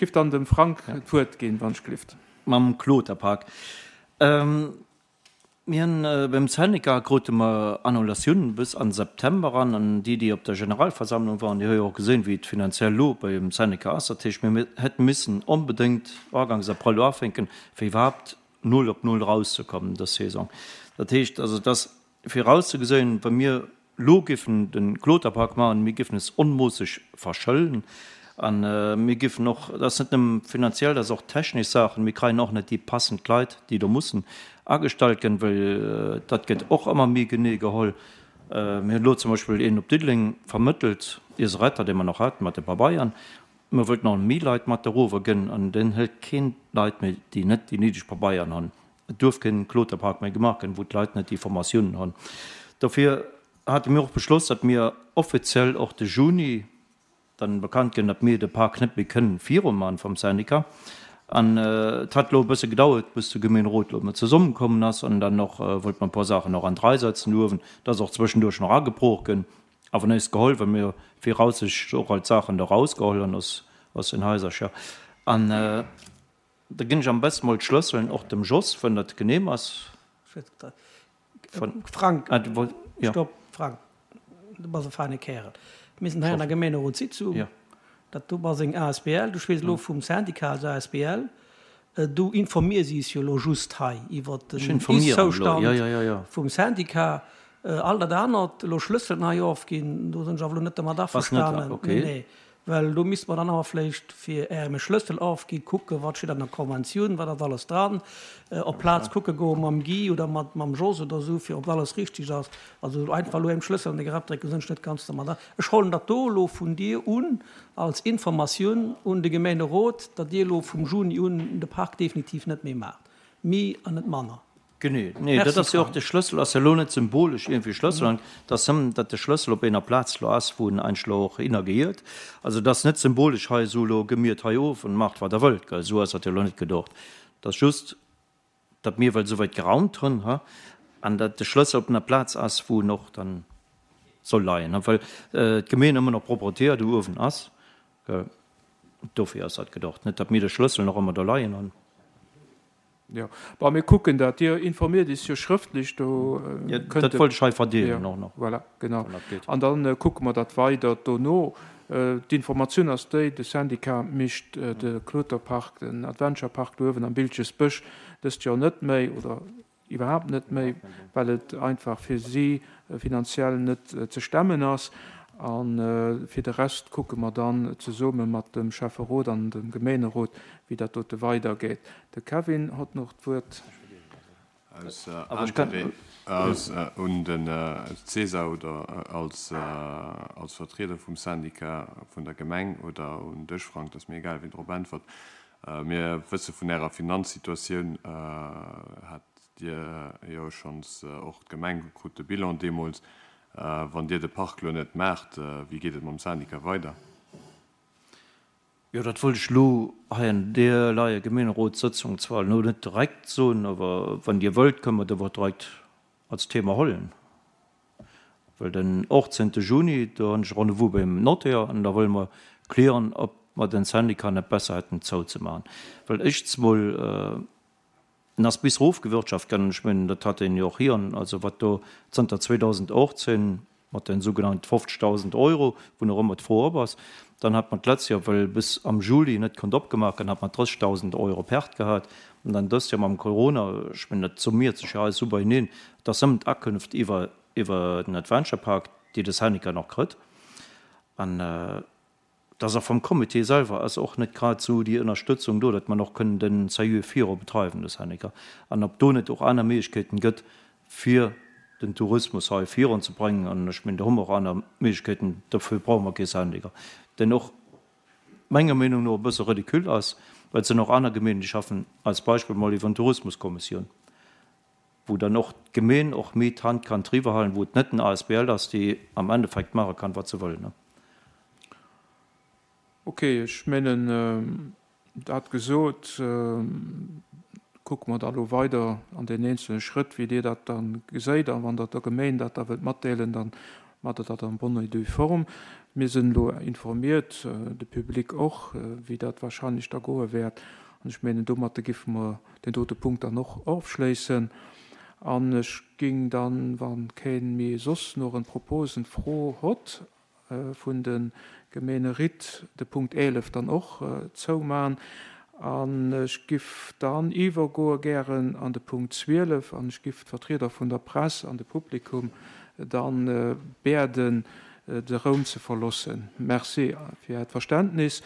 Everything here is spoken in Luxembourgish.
giff dann dem Frank d'Wuert ginn, wann ech glift. Mam Kloterpark. Mir hunn beim Syndicat krute mer Annulatiounen bis an September eran. An déi, déi op der Generalversammlung waren, déi hu jo och gesinn, wéi et finanziell elo beim Syndicat ass. Dat heescht, mir hätte missen onbedéngt Uganks Abrëll ufänken, fir iwwerhaapt null op null erauszekommen dës Saison. Dat heescht also, et ass virauszegesinn, wa mir Lo giffen den Kloterpark maachen, mir giffen es onmoosseg verschëllen an mir giffen och, dat ass net nëmmen finanziell, dat ass och technesch Saachen, mir kreien och net déi passend Leit, déi do mussen agestallt ginn, well dat gëtt och ëmmer méi genee geholl. Mir hunn elo zum Beispill een op Diddeleng vermëttelt, iise Retter, dee mer nach haten, mat de Pabeieren. Mir wëllten och méi Leit mat erover gënn an den hëlt keen Leit méi, déi net déi néideg Pabeieren hunn. Et duerf keen Kloterpark méi gemaach ginn, wou d'Leit net déi Formatiounen hunn. Dofir hate mir och beschloss, datt mir offiziell och de Juni dann bekannt ginn, datt mir de Park net méi kënnen viruman vum Syndicat. An et hat elo e bësse gedauert, bis de Gemeenerot elo emol zesummekommen ass an dann och wollte mer e puer Saachen och an d'Rei setzen uewen. Et ass och zwëschenduerch nach agebrooch ginn, awer nees geholl, well mir viraussichtlech och all d'Saachen do erausgeholl hunn aus den Haisercher. An Da ginn ech am besten mol d'Schlësselen och dem Jos, wann dat genehm ass. Frank, stopp, Frank, du bass e feine Kärel. Mir sinn hei an der Gemeenerotssitzung. Dat do bass eng asbl, du schwätz elo vum Syndicat als asbl. Du informiers is jo elo just hei iwwert den Ist-Zoustand vum Syndicat. All dat anert, elo Schlësselen hei ofginn, do sinn ech awer elo net dermat averstanen. Nee, nee. Well do misste mer dann awer vléicht, fir Ärem e Schlëssel ofginn, kucken, wat steet an der Konventioun, wat ass alles dran, op d'Plaz kucke goe mam Guy oder mat mam Jos oder esou, fir ob alles richtig ass. Also einfach elo engem Schlëssel an de Grapp drécken, sinn ech net ganz dermat. Ech hollen dat do elo vun dir un als Informatioun un de Gemeenerot, datt Dir elo vum Juni un de Park definitiv net méi maacht. Méi an net manner. Genee, nee, dat ass jo och, de Schlëssel ass jo elo net symbolesch iergendwéi Schlëssel, an et ass nëmmen, datt de Schlëssel op enger Plaz elo ass, wou en eigentlech elo och hinner gehiert. Also et ass net symbolesch hei esou, elo gi mir et hei of an maacht wat der wëllt, gell, esou ass dat jo elo net gedocht. Et ass just, datt mir well esouwäit geraumt hunn, ha, an datt de Schlëssel op enger Plaz ass, wou en och dann soll leien, ha, well d'Gemeen ëmmer nach Proprietär do uewen ass, gell, dofir ass dat gedocht, net datt mir de Schlëssel nach ëmmer do leien hunn. Jo, bon, mir kucken dat. Dir informiert is jo schrëftlech, do kënnt. Dat wollt ech hei verdeelen och nach. Voilà, genau. An da kucke mer dat weider dono. D'Informatioun ass déi, de Syndicat mécht de Kloterpark, den Adventure Park do uewen am Biltgesbësch dëst Joer net méi oder iwwerhaapt net méi, well et einfach fir si finanziell net ze stemmen ass. A fir de Rest kucke mer dann zesumme mat dem Schäfferot an dem Gemeenerot, wéi dat dote weidergeet. De Kevin hott nach d'Wuert. Aus Interêt un den Cesar oder als Vertrieder vum Syndicat vun der Gemeng oder un dech, Frank, dat ass mir egal, wien drop äntwert. Mir wësse vun Ärer Finanzsituatioun, hat Dir jo schonns, och d'Gemeng krut de Bilan deemools. Wann Dir de Park lo net maacht, wéi geet et mam Syndicat weider? Jo, dat wollt ech elo hei an deer leier Gemeenerotssëtzung zwar elo net direkt soen, awer wann Dir wëllt, kënne mer dat och direkt als Thema hollen. Well den 18. Juni, do hunn ech Rendez-vous beim Notaire an da wëlle mer klieren, ob mer den Syndicat net besser hätten zouzemaachen. Well éischtens mol, en ass bis erofgewirtschaft ginn, ech mengen, dat hat een jo och hiren, also wat do zënter 2018 mat den sougenannte 50.000 Euro, wou nach ëmmer d'Fro op ass, dann hat mer d'letzt Joer, well bis am Juli net konnt opgemaach ginn, hat mer 30.000 Euro Perte gehat an dann dëst Joer mam Corona, ech mengen, dat summiert sech jo alles esou beieneen, Et ass nëmmen d'Akünft iwwer iwwer den Adventure Park, déi de Syndicat nach krëtt. An et ass och vum Comité selwer ass och net grad esou déi Ënnerstëtzung do, datt mer och kënnen den Salut viru betreiwen, de Syndicat. An ob do net och aner Méiglechkeeten gëtt, fir den Tourismus hei virun ze bréngen. An ech mengen, do hu mer och aner Méiglechkeeten, dofir brauche mer kee Syndicat, deen och menger Meenung no e bësse ridicule ass, well et sinn och aner Gemeenen, déi schaffen als Beispill mol iwwer en Tourismuskommissioun. wou dann och d'Gemeen och méi d'Hand kann driwwer halen, wou et net den asbl ass, déi am Endeffekt maache kann, wat se wëll. Ok, ech mengen, dat gesot, kucke mer da elo weider an den eenzele Schrëtt, wéi Dir dat da geséit. A wann Der der Gemeen dat da wëllt matdeelen, da maacht Der dat en bonne et due forme. Mir sinn elo informiert, de Public och, wéi dat wahrscheinlech da goe wäert. An ech mengen, domatter giffe mer deen dote Punkt dann och ofschléissen. An ech ging dann, wa keen méi soss nach en Proposen, Fro hott, vun de Gemeeneritt de Punkt 11 dann och zouman. An ech giff dann iwwergoe gären an de Punkt 12 an ech giff d'Vertrieder vun der Press an de Publikum dann biäden, de Raum ze verlossen. Merci fir Äert Verständnis.